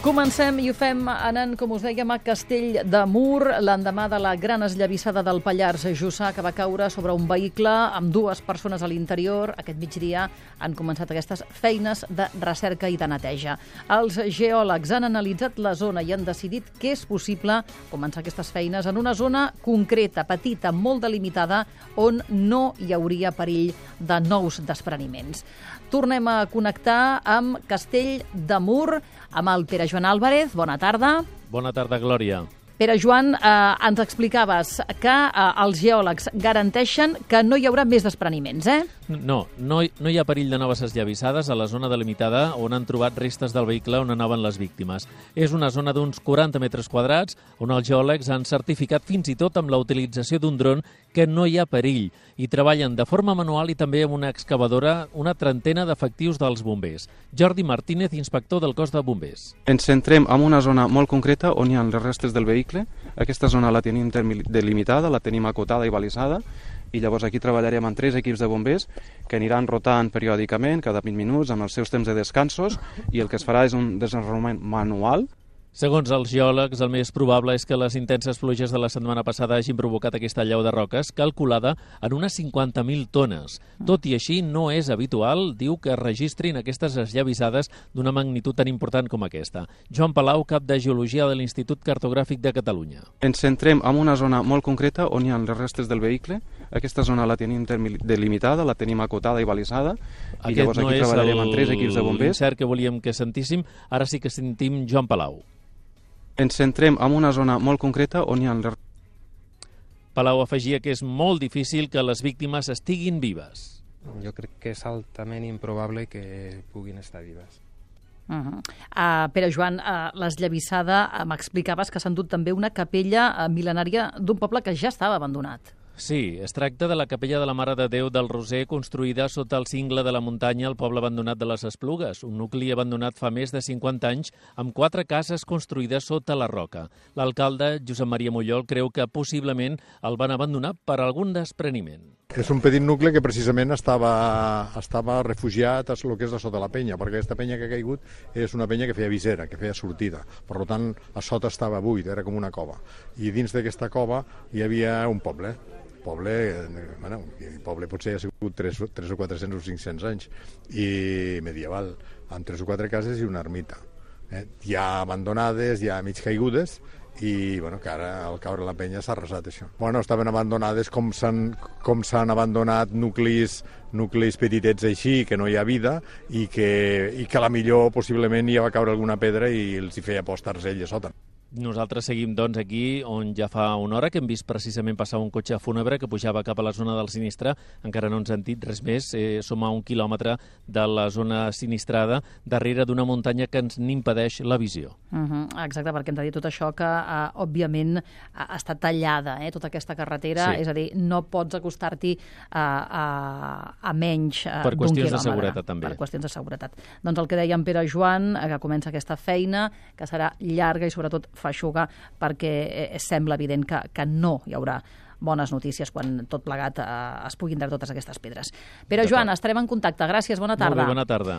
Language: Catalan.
Comencem i ho fem anant, com us dèiem, a Castell de Mur, l'endemà de la gran esllavissada del Pallars Jussà, que va caure sobre un vehicle amb dues persones a l'interior. Aquest migdia han començat aquestes feines de recerca i de neteja. Els geòlegs han analitzat la zona i han decidit que és possible començar aquestes feines en una zona concreta, petita, molt delimitada, on no hi hauria perill de nous despreniments. Tornem a connectar amb Castell de Mur, amb el Pere Joan Álvarez. Bona tarda. Bona tarda, Glòria. Pere Joan, ens explicaves que els geòlegs garanteixen que no hi haurà més despreniments, eh? No hi ha perill de noves esllavissades a la zona delimitada on han trobat restes del vehicle on anaven les víctimes. És una zona d'uns 40 metres quadrats on els geòlegs han certificat fins i tot amb la utilització d'un dron que no hi ha perill i treballen de forma manual i també amb una excavadora una trentena d'efectius dels bombers. Jordi Martínez, inspector del cos de bombers. Ens centrem en una zona molt concreta on hi ha les restes del vehicle. Aquesta zona la tenim delimitada, la tenim acotada i balisada, i llavors aquí treballarem amb 3 equips de bombers que aniran rotant periòdicament, cada 20 minuts, amb els seus temps de descansos, i el que es farà és un desenvolupament manual. Segons els geòlegs, el més probable és que les intenses pluges de la setmana passada hagin provocat aquesta allau de roques, calculada en unes 50.000 tones. Tot i així, no és habitual, diu, que es registrin aquestes esllavissades d'una magnitud tan important com aquesta. Joan Palau, cap de Geologia de l'Institut Cartogràfic de Catalunya. Ens centrem en una zona molt concreta on hi ha les restes del vehicle. Aquesta zona la tenim delimitada, la tenim acotada i balisada, i llavors aquí treballarem amb 3 equips de bombers. L'incert que volíem que sentíssim, ara sí que sentim Joan Palau. Ens centrem en una zona molt concreta on hi ha... Palau afegia que és molt difícil que les víctimes estiguin vives. Jo crec que és altament improbable que puguin estar vives. Pere Joan, l'esllavissada, m'explicaves que s'ha endut també una capella mil·lenària d'un poble que ja estava abandonat. Sí, es tracta de la capella de la Mare de Déu del Roser, construïda sota el cingle de la muntanya al poble abandonat de les Esplugues, un nucli abandonat fa més de 50 anys, amb 4 cases construïdes sota la roca. L'alcalde, Josep Maria Mollol, creu que possiblement el van abandonar per algun despreniment. És un petit nucli que precisament estava refugiat a lo que és a sota la penya, perquè aquesta penya que ha caigut és una penya que feia visera, que feia sortida. Per tant, a sota estava buit, era com una cova. I dins d'aquesta cova hi havia un poble. El poble potser ha sigut 3 o 400 o 500 anys, i medieval, amb 3 o 4 cases i una ermita. Ja abandonades, ja mig caigudes, i que ara al caure la penya s'ha arrasat això. Estaven abandonades com s'han abandonat nuclis petitets així, que no hi ha vida, i que a la millor possiblement hi va caure alguna pedra i els hi feia por estar-se ell a sota. Nosaltres seguim, doncs, aquí on ja fa una hora que hem vist precisament passar un cotxe fúnebre que pujava cap a la zona del sinistre. Encara no ens han dit res més. Som a 1 quilòmetre de la zona sinistrada, darrere d'una muntanya que ens n'impedeix la visió. Exacte, perquè hem de dir tot això que, òbviament, està tallada, tota aquesta carretera. Sí. És a dir, no pots acostar-t'hi a menys d'un quilòmetre. Per qüestions de seguretat, també. Per qüestions de seguretat. Doncs el que deia en Pere Joan, que comença aquesta feina, que serà llarga i sobretot feixuga, perquè sembla evident que no hi haurà bones notícies quan tot plegat es puguin treure totes aquestes pedres. Pere Joan, estarem en contacte. Gràcies, bona tarda. Molt bé, bona tarda.